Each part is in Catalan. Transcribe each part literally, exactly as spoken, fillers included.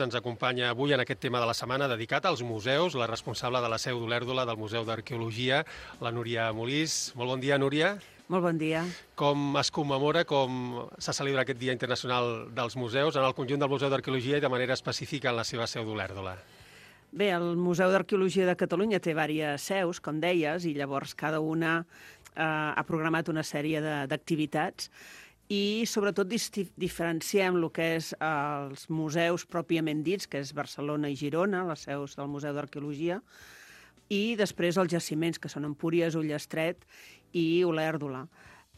Ens acompanya avui en aquest tema de la setmana dedicat als museus, la responsable de la seu d'Olèrdola del Museu d'Arqueologia, la Núria Molís. Molt bon dia, Núria. Molt bon dia. Com es commemora, com se celebra aquest Dia Internacional dels Museus en el conjunt del Museu d'Arqueologia i de manera específica en la seva seu d'Olèrdola? Bé, el Museu d'Arqueologia de Catalunya té diverses seus, com deies, i llavors cada una eh, ha programat una sèrie d'activitats i sobretot diferenciem el que és els museus pròpiament dits, que és Barcelona i Girona, les seus del Museu d'Arqueologia, i després els jaciments, que són Empúries, Ullastret i Olèrdola.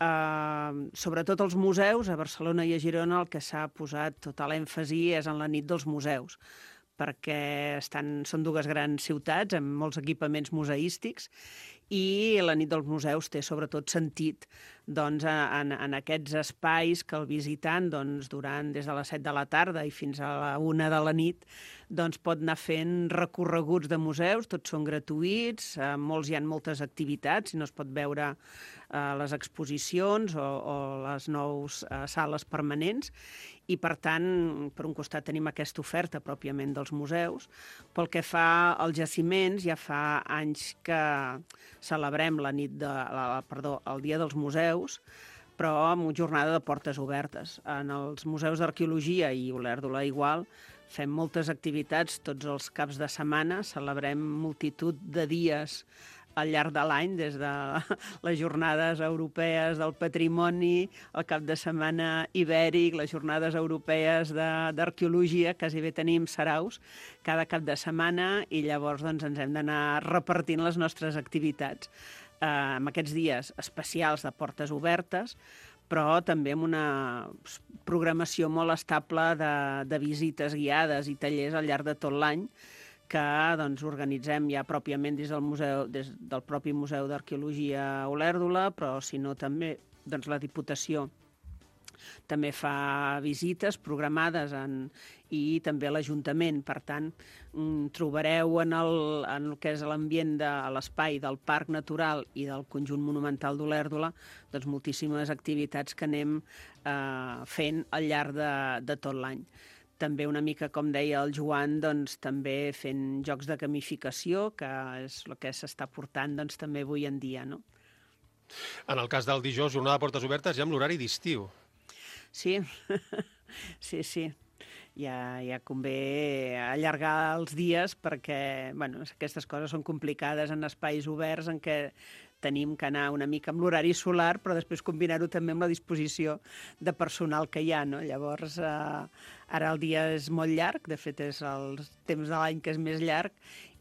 Uh, sobretot els museus, a Barcelona i a Girona, el que s'ha posat tot l'èmfasi és en la nit dels museus, perquè estan, són dues grans ciutats amb molts equipaments museístics i la nit dels museus té sobretot sentit doncs, en, en aquests espais que el visitant doncs, durant des de les set de la tarda i fins a la una de la nit doncs, pot anar fent recorreguts de museus, tots són gratuïts, eh, molts hi ha moltes activitats, i no es pot veure eh, les exposicions o, o les nous eh, sales permanents, i per tant, per un costat tenim aquesta oferta pròpiament dels museus. Pel que fa als jaciments, ja fa anys que celebrem la nit de, la, perdó, el Dia dels Museus, però amb una jornada de portes obertes. En els museus d'arqueologia i Olèrdola igual, fem moltes activitats tots els caps de setmana, celebrem multitud de dies al llarg de l'any, des de les jornades europees del patrimoni, el cap de setmana ibèric, les jornades europees d'arqueologia, quasi bé tenim saraus cada cap de setmana, i llavors doncs, ens hem d'anar repartint les nostres activitats. Eh, en aquests dies especials de portes obertes, però també amb una programació molt estable de, de visites guiades i tallers al llarg de tot l'any, que doncs, organitzem ja pròpiament des del, museu, des del propi Museu d'Arqueologia Olèrdola, però si no també doncs, la Diputació també fa visites programades en, i també l'Ajuntament. Per tant, trobareu en el, en el que és l'ambient de l'espai del Parc Natural i del Conjunt Monumental d'Olèrdola doncs, moltíssimes activitats que anem eh, fent al llarg de, de tot l'any. També una mica, com deia el Joan, doncs, també fent jocs de gamificació, que és el que s'està portant doncs, també avui en dia. No? En el cas del dijous, jornada de portes obertes, ja amb l'horari d'estiu. Sí, sí, sí. Ja, ja convé allargar els dies perquè bueno, aquestes coses són complicades en espais oberts en què tenim que anar una mica amb l'horari solar, però després combinar-ho també amb la disposició de personal que hi ha. No? Llavors, eh, ara el dia és molt llarg, de fet és el temps de l'any que és més llarg,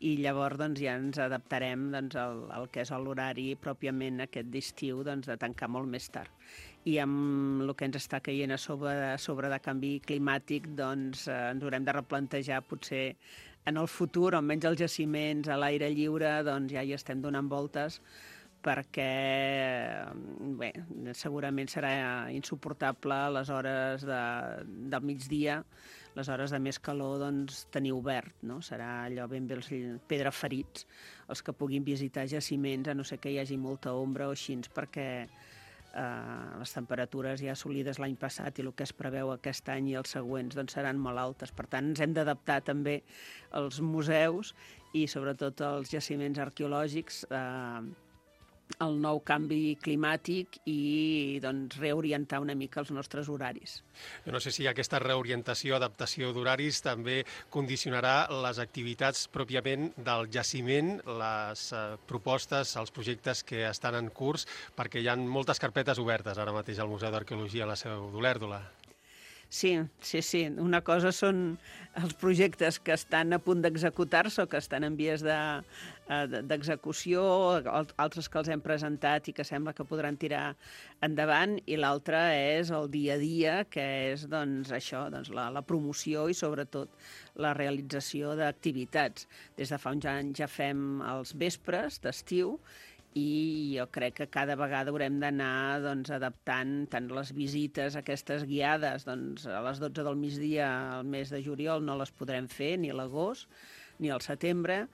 i llavors doncs, ja ens adaptarem doncs, al, al que és l'horari pròpiament aquest d'estiu, doncs, de tancar molt més tard. I amb el que ens està caient a sobre, a sobre de canvi climàtic, doncs eh, ens haurem de replantejar potser en el futur, almenys els jaciments a l'aire lliure, doncs ja hi estem donant voltes, perquè bé, segurament serà insuportable a les hores de, del migdia, les hores de més calor, doncs, tenir obert, no? Serà allò ben bé els pedraferits, els que puguin visitar jaciments, a no ser que hi hagi molta ombra o així, perquè eh, les temperatures ja assolides l'any passat i el que es preveu aquest any i els següents doncs, seran molt altes. Per tant, ens hem d'adaptar també als museus i sobretot als jaciments arqueològics eh, el nou canvi climàtic i doncs, reorientar una mica els nostres horaris. Jo no sé si aquesta reorientació, adaptació d'horaris també condicionarà les activitats pròpiament del jaciment, les eh, propostes, els projectes que estan en curs, perquè hi ha moltes carpetes obertes ara mateix al Museu d'Arqueologia a la seu d'Olèrdola. Sí, sí, sí. Una cosa són els projectes que estan a punt d'executar-se o que estan en vies d'execució, altres que els hem presentat i que sembla que podran tirar endavant, i l'altra és el dia a dia, que és doncs, això, doncs, la, la promoció i sobretot la realització d'activitats. Des de fa uns anys ja fem els vespres d'estiu, i jo crec que cada vegada haurem d'anar doncs, adaptant tant les visites aquestes guiades, doncs, a les dotze del migdia al mes de juliol no les podrem fer ni a l'agost ni al setembre,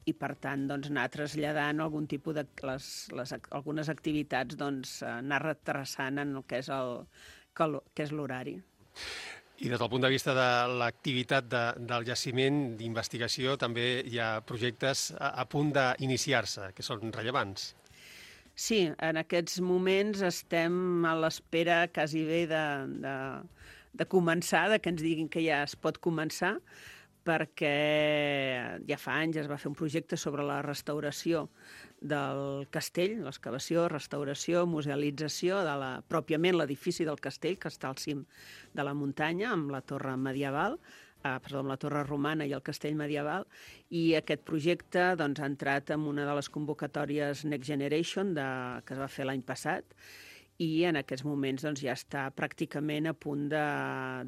i per tant doncs, anar traslladant algun tipus de les, les, algunes activitats, doncs, anar retrasant en el que és el que és l'horari. I des del punt de vista de l'activitat de, del jaciment d'investigació també hi ha projectes a, a punt d'iniciar-se, que són rellevants. Sí, en aquests moments estem a l'espera quasi bé de, de, de començar, de que ens diguin que ja es pot començar, perquè ja fa anys es va fer un projecte sobre la restauració del castell, l'excavació, restauració, musealització de la, pròpiament l'edifici del castell, que està al cim de la muntanya, amb la torre medieval, eh, perdó, amb la torre romana i el castell medieval, i aquest projecte doncs, ha entrat en una de les convocatòries Next Generation de, que es va fer l'any passat, i en aquests moments doncs, ja està pràcticament a punt de,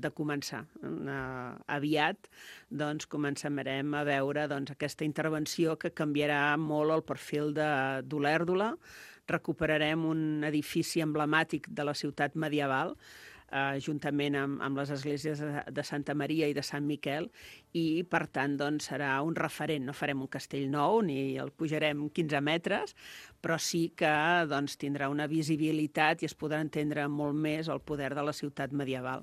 de començar. Uh, aviat doncs, començarem a veure doncs, aquesta intervenció que canviarà molt el perfil d'Olèrdola. Recuperarem un edifici emblemàtic de la ciutat medieval, Uh, juntament amb, amb les esglésies de, de Santa Maria i de Sant Miquel, i, per tant, doncs, serà un referent. No farem un castell nou, ni el pujarem quinze metres, però sí que doncs, tindrà una visibilitat i es podrà entendre molt més el poder de la ciutat medieval.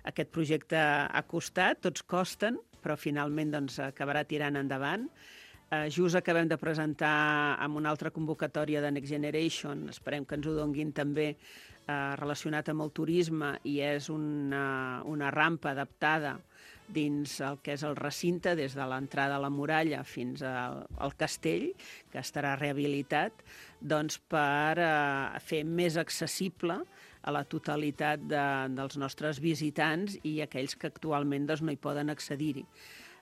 Aquest projecte ha costat, tots costen, però finalment doncs, acabarà tirant endavant. Uh, just acabem de presentar amb una altra convocatòria de Next Generation, esperem que ens ho donguin també, uh, relacionat amb el turisme, i és una, una rampa adaptada dins el que és el recinte, des de l'entrada a la muralla fins al, al castell, que estarà rehabilitat, doncs per uh, fer més accessible a la totalitat de, dels nostres visitants i aquells que actualment doncs, no hi poden accedir-hi.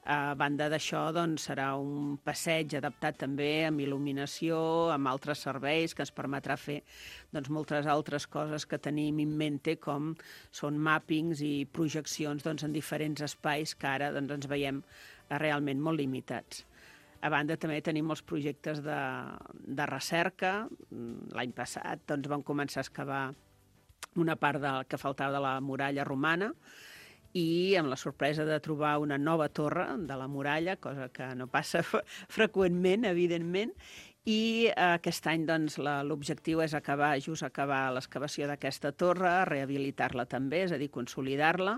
A banda d'això, doncs, serà un passeig adaptat també amb il·luminació, amb altres serveis que ens permetrà fer doncs, moltes altres coses que tenim en mente, com són màppings i projeccions doncs, en diferents espais que ara doncs, ens veiem realment molt limitats. A banda, també tenim els projectes de, de recerca. L'any passat doncs, vam començar a excavar una part de, que faltava de la muralla romana, i amb la sorpresa de trobar una nova torre de la muralla, cosa que no passa freqüentment, evidentment, i aquest any doncs, l'objectiu és acabar, just acabar l'excavació d'aquesta torre, rehabilitar-la també, és a dir, consolidar-la,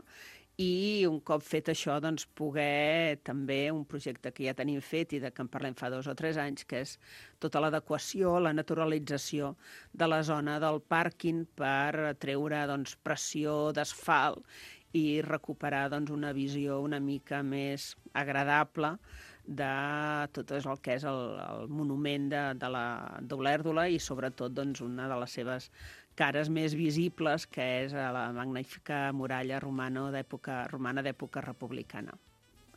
i un cop fet això, doncs, poder també un projecte que ja tenim fet i de que en parlem fa dos o tres anys, que és tota l'adequació, la naturalització de la zona del pàrquing per treure doncs, pressió d'asfalt i recuperar doncs, una visió una mica més agradable de tot el que és el, el monument d'Olèrdola i sobretot doncs, una de les seves cares més visibles, que és la magnífica muralla romana d'època romana d'època republicana.